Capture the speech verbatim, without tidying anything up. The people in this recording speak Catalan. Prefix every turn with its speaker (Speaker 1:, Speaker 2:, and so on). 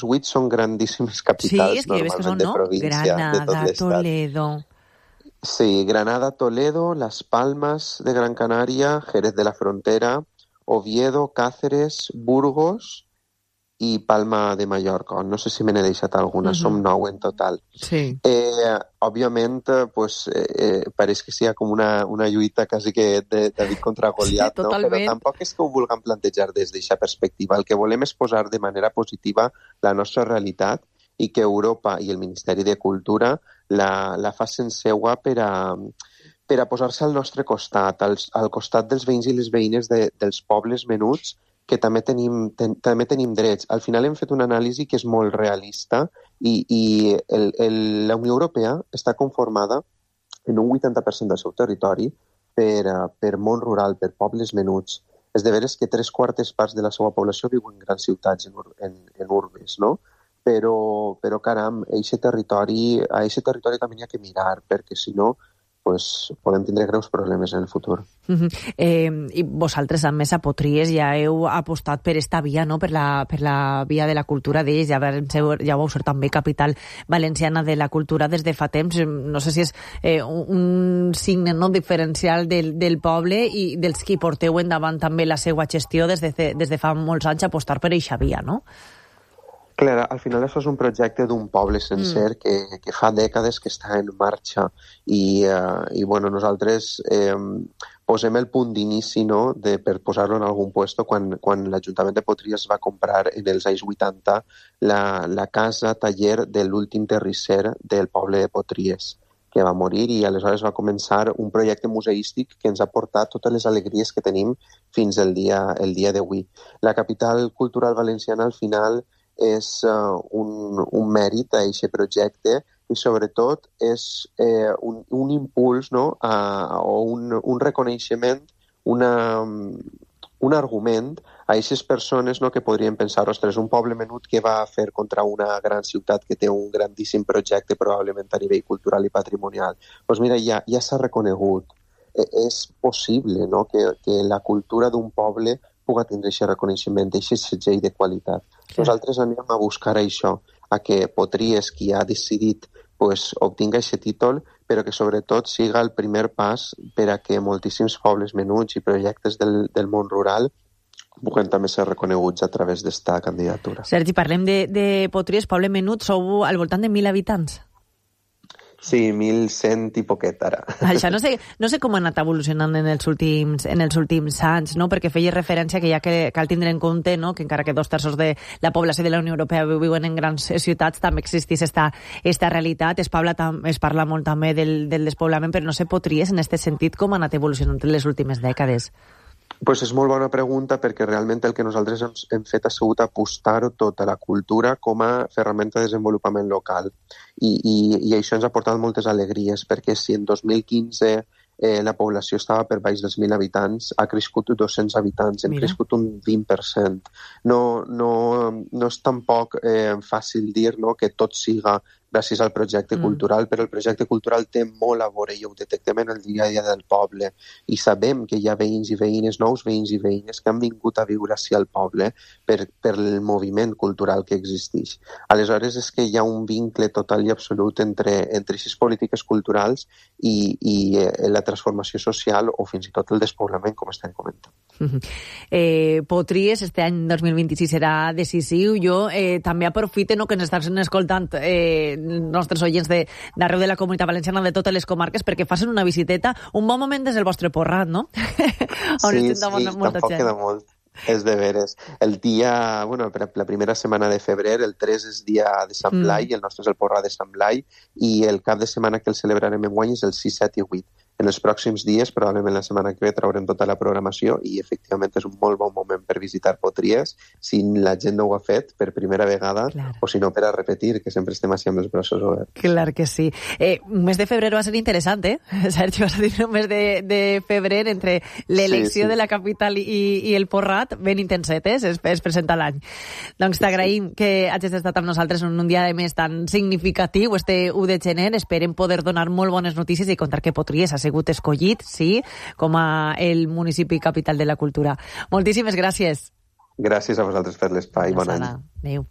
Speaker 1: vuit són grandíssimes capitals,
Speaker 2: sí, és que
Speaker 1: normalment,
Speaker 2: són,
Speaker 1: de
Speaker 2: no?
Speaker 1: província,
Speaker 2: Granada,
Speaker 1: de tot l'estat.
Speaker 2: Toledo...
Speaker 1: Sí, Granada, Toledo, Las Palmas de Gran Canaria, Jerez de la Frontera, Oviedo, Cáceres, Burgos i Palma de Mallorca. No sé si me n'he deixat alguna, uh-huh. Som nou en total.
Speaker 2: Sí.
Speaker 1: Eh, òbviament, pues, eh, pareix que sigui com una, una lluita quasi que de David contra Goliat,
Speaker 2: sí,
Speaker 1: no? Però tampoc és que ho vulguem plantejar des d'aquesta perspectiva. El que volem és posar de manera positiva la nostra realitat i que Europa i el Ministeri de Cultura la, la facin seua per a, per a posar-se al nostre costat, als, al costat dels veïns i les veïnes de, dels pobles menuts, que també tenim, ten, també tenim drets. Al final hem fet una anàlisi que és molt realista i, i el, el, la Unió Europea està conformada en un vuitanta per cent del seu territori per, uh, per món rural, per pobles menuts. És de veres que tres quartes parts de la seva població viuen en grans ciutats, en, en, en urbes, no? Però, però caram, a aquest territori, a aquest territori també hi ha que mirar, perquè si no, pues, podem tindre greus problemes en el futur.
Speaker 2: Uh-huh. Eh, I vosaltres, a més, a Potries ja heu apostat per esta via, no? per, la, per la via de la cultura d'ells, ja, ja vau ser també capital valenciana de la cultura des de fa temps. No sé si és eh, un signe, no?, diferencial del, del poble i dels qui porteu endavant també la seva gestió des de, des de fa molts anys, apostar per eixa via, no?
Speaker 1: Clar, al final això és un projecte d'un poble sencer mm. que, que fa dècades que està en marxa i, uh, i bueno, nosaltres eh, posem el punt d'inici, no?, de, per posar-lo en algun puesto quan, quan l'Ajuntament de Potries va comprar en els anys vuitanta la, la casa taller de l'últim terrisser del poble de Potries, que va morir, i aleshores va començar un projecte museístic que ens ha portat totes les alegries que tenim fins el dia, el dia d'avui. La capital cultural valenciana al final és uh, un, un mèrit a aquest projecte i sobretot és eh, un, un impuls, no?, a, o un, un reconeixement, una, un argument a aquestes persones, no?, que podrien pensar, ostres, un poble menut que va a fer contra una gran ciutat que té un grandíssim projecte probablement a nivell cultural i patrimonial. Doncs mira, ja, ja s'ha reconegut. Eh, és possible, no?, que, que la cultura d'un poble pugui tindre aquest reconeixement, aquest segell de qualitat. Sí. Nosaltres anem a buscar això, a que Potries, qui ha decidit, pues, obtinga aquest títol, però que sobretot siga el primer pas per a que moltíssims pobles menuts i projectes del, del món rural puguen també ser reconeguts a través d'esta candidatura.
Speaker 2: Sergi, parlem de, de Potries, poble menut, sou al voltant de mil habitants.
Speaker 1: Sí, mil cent i poquet ara.
Speaker 2: Això no sé, no sé com ha anat evolucionant en els últims, en els últims anys, no? Perquè feia referència que ja que cal tindre en compte, no?, que encara que dos terços de la població de la Unió Europea viuen en grans ciutats, també existeix esta, esta realitat. Es parla, tam, es parla molt també del, del despoblament, però no sé, Potries, en aquest sentit, com ha anat evolucionant en les últimes dècades?
Speaker 1: Pues és molt bona pregunta, perquè realment el que nosaltres hem, hem fet ha sigut apostar tota la cultura com a ferramenta de desenvolupament local. I, i, i això ens ha portat moltes alegries, perquè si en dos mil quinze eh, la població estava per baix dels mil habitants, ha crescut dos-cents habitants, hem Mira. crescut un vint per cent. No, no, no és tampoc eh, fàcil dir, no?, que tot siga gràcies al projecte mm. cultural, però el projecte cultural té molt a veure i ho detectem en el dia a dia del poble i sabem que hi ha veïns i veïnes, nous veïns i veïnes que han vingut a viure així al poble per, per el moviment cultural que existeix. Aleshores és que hi ha un vincle total i absolut entre, entre aquestes polítiques culturals i, i eh, la transformació social o fins i tot el despoblament, com estem comentant.
Speaker 2: Mm-hmm. Eh, Potries, este any dos mil vint-i-sis serà decisiu. Jo eh, també aprofite, no?, que ens estan escoltant eh, nostres oients d'arreu de, de la Comunitat Valenciana, de totes les comarques, perquè facin una visiteta. Un bon moment des del vostre Porrat, no?
Speaker 1: Sí, sí, tampoc queda molt. És de veres. El dia, bueno, la primera setmana de febrer, el tres és dia de Sant Blai, mm. el nostre és el Porrat de Sant Blai, i el cap de setmana que el celebrarem en guany és el sis, set i vuit. En els pròxims dies, probablement la setmana que ve, traurem tota la programació i efectivament és un molt bon moment per visitar Potries, si la gent no ho ha fet per primera vegada, clar, o si no per a repetir, que sempre estem així amb els braços oberts.
Speaker 2: Clar que sí. Eh, un mes de febrer va ser interessant, eh? Sergi, vas a dir un mes de, de febrer entre l'elecció sí, sí. de la capital i, i el Porrat, ben intensetes, es, es presenta l'any. Doncs t'agraïm sí. que hagis estat amb nosaltres en un dia de més tan significatiu, este u de gener. Esperem poder donar molt bones notícies i contar que Potries ha sigut escollit, sí, com a el municipi capital de la cultura. Moltíssimes gràcies.
Speaker 1: Gràcies a vosaltres per l'espai. Bon any.
Speaker 2: Adéu.